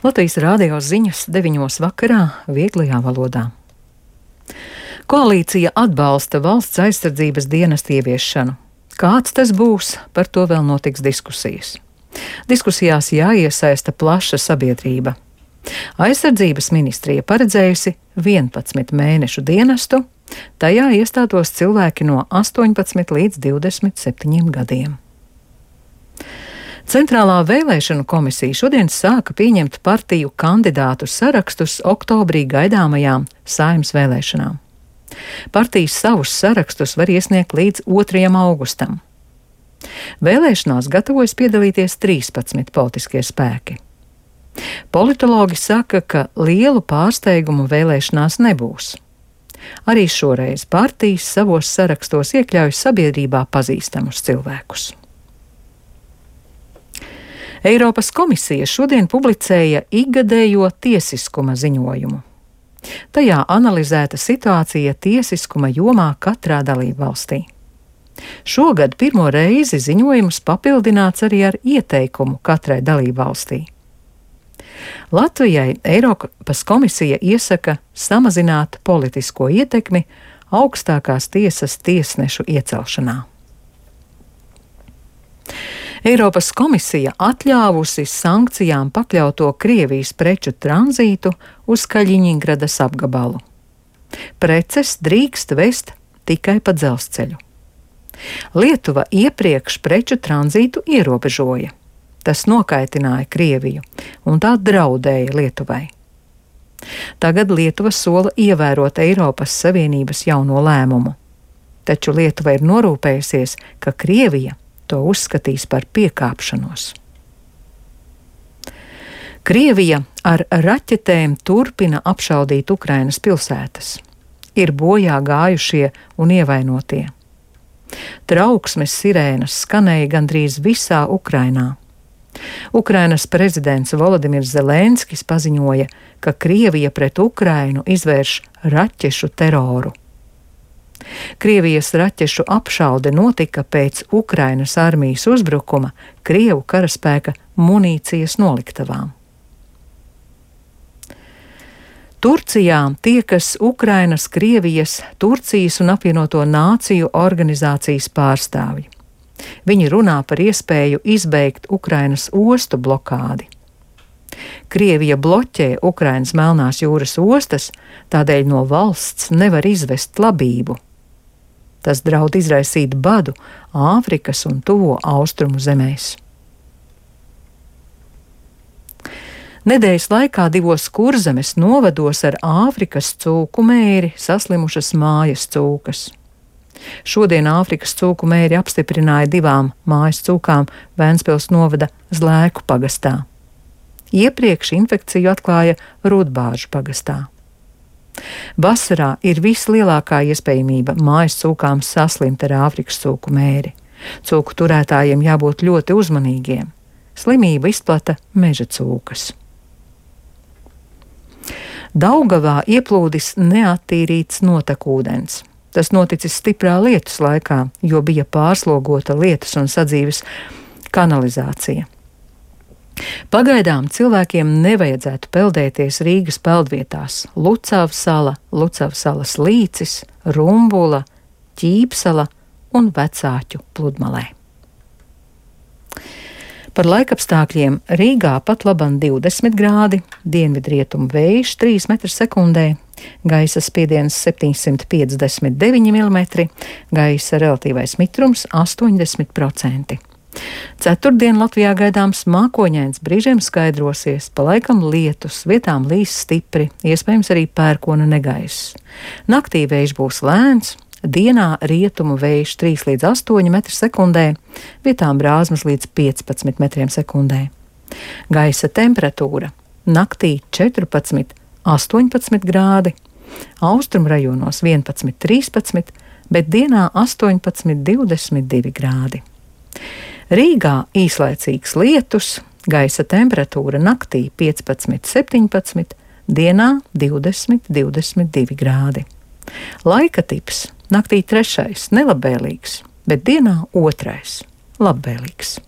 Latvijas rādio ziņas 9 vakarā vieglajā valodā. Koalīcija atbalsta valsts aizsardzības dienesta ieviešanu. Kāds tas būs, par to vēl notiks diskusijas. Diskusijās jāiesaista plaša sabiedrība. Aizsardzības ministrija paredzējusi 11 mēnešu dienestu, tajā iestātos cilvēki no 18 līdz 27 gadiem. Centrālā vēlēšanu komisija šodien sāka pieņemt partiju kandidātu sarakstus oktobrī gaidāmajām Saeimas vēlēšanām. Partijas savus sarakstus var iesniegt līdz 2. augustam. Vēlēšanās gatavojas piedalīties 13 politiskie spēki. Politologi saka, ka lielu pārsteigumu vēlēšanās nebūs. Arī šoreiz partijas savos sarakstos iekļauj sabiedrībā pazīstamus cilvēkus. Eiropas komisija šodien publicēja ikgadējo tiesiskuma ziņojumu. Tajā analizēta situācija tiesiskuma jomā katrā dalībvalstī. Šogad pirmo reizi ziņojums papildināts arī ar ieteikumu katrai dalībvalstī. Latvijai Eiropas komisija iesaka samazināt politisko ietekmi augstākās tiesas tiesnešu iecelšanā. Eiropas komisija atļāvusi sankcijām pakļauto Krievijas preču tranzītu uz Kaļiņingradas apgabalu. Preces drīkst vest tikai pa dzelzceļu. Lietuva iepriekš preču tranzītu ierobežoja. Tas nokaitināja Krieviju, un tā draudēja Lietuvai. Tagad Lietuva sola ievērot Eiropas Savienības jauno lēmumu. Taču Lietuva ir norūpējusies, ka Krievija to uzskatīs par piekāpšanos. Krievija ar raķetēm turpina apšaudīt Ukrainas pilsētas. Ir bojā gājušie un ievainotie. Trauksmes sirēnas skanēja gandrīz visā Ukrainā. Ukrainas prezidents Volodimirs Zelenskis paziņoja, ka Krievija pret Ukrainu izvērš raķešu teroru. Krievijas raķešu apšaude notika pēc Ukrainas armijas uzbrukuma Krievu karaspēka munīcijas noliktavām. Turcijā tiekas Ukrainas, Krievijas, Turcijas un apvienoto nāciju organizācijas pārstāvji. Viņi runā par iespēju izbeigt Ukrainas ostu blokādi. Krievija bloķē Ukrainas Melnās jūras ostas, tādēļ no valsts nevar izvest labību. Tas draud izraisīt badu Āfrikas un Tuvo austrumu zemēs. Nedēļas laikā 2 Kurzemes novados ar Āfrikas cūku mēri saslimušas mājas cūkas. Šodien Āfrikas cūku mēri apstiprināja 2 mājas cūkām Ventspils novada Zlēku pagastā. Iepriekš infekciju atklāja Rudbāžu pagastā. Vasarā ir vislielākā iespējamība mājas cūkām saslimt ar Āfrikas cūku mēri. Cūku turētājiem jābūt ļoti uzmanīgiem. Slimību izplata meža cūkas. Daugavā ieplūdis neattīrīts notekūdens. Tas noticis stiprā lietus laikā, jo bija pārslogota lietus un sadzīves kanalizācija. Pagaidām cilvēkiem nevajadzētu peldēties Rīgas peldvietās Lucava sala, Lucava salas līcis, Rumbula, Ķīpsala un Vecāķu pludmalē. Par laikapstākļiem Rīgā pat laban 20 grādi, dienvidrietumu vējš 3 m/sekundē, gaisa spiediens 759 mm, gaisa relatīvais mitrums 80%. Ceturtdien Latvijā gaidāms mākoņains, brīžiem skaidrosies, pa laikam lietus, vietām līs stipri, iespējams arī pērkona negaiss. Naktī vējš būs lēns, dienā rietumu vējš 3 līdz 8 m/sekundē, vietām brāzmas līdz 15 m/sekundē. Gaisa temperatūra naktī 14, 18 grādi, austrumu rajonos 11, 13, bet dienā 18, 22 grādi. Rīgā īslaicīgs lietus, gaisa temperatūra naktī 15, 17, dienā 20, 22 grādi. Laika tips naktī 3. nelabvēlīgs, bet dienā 2. labvēlīgs.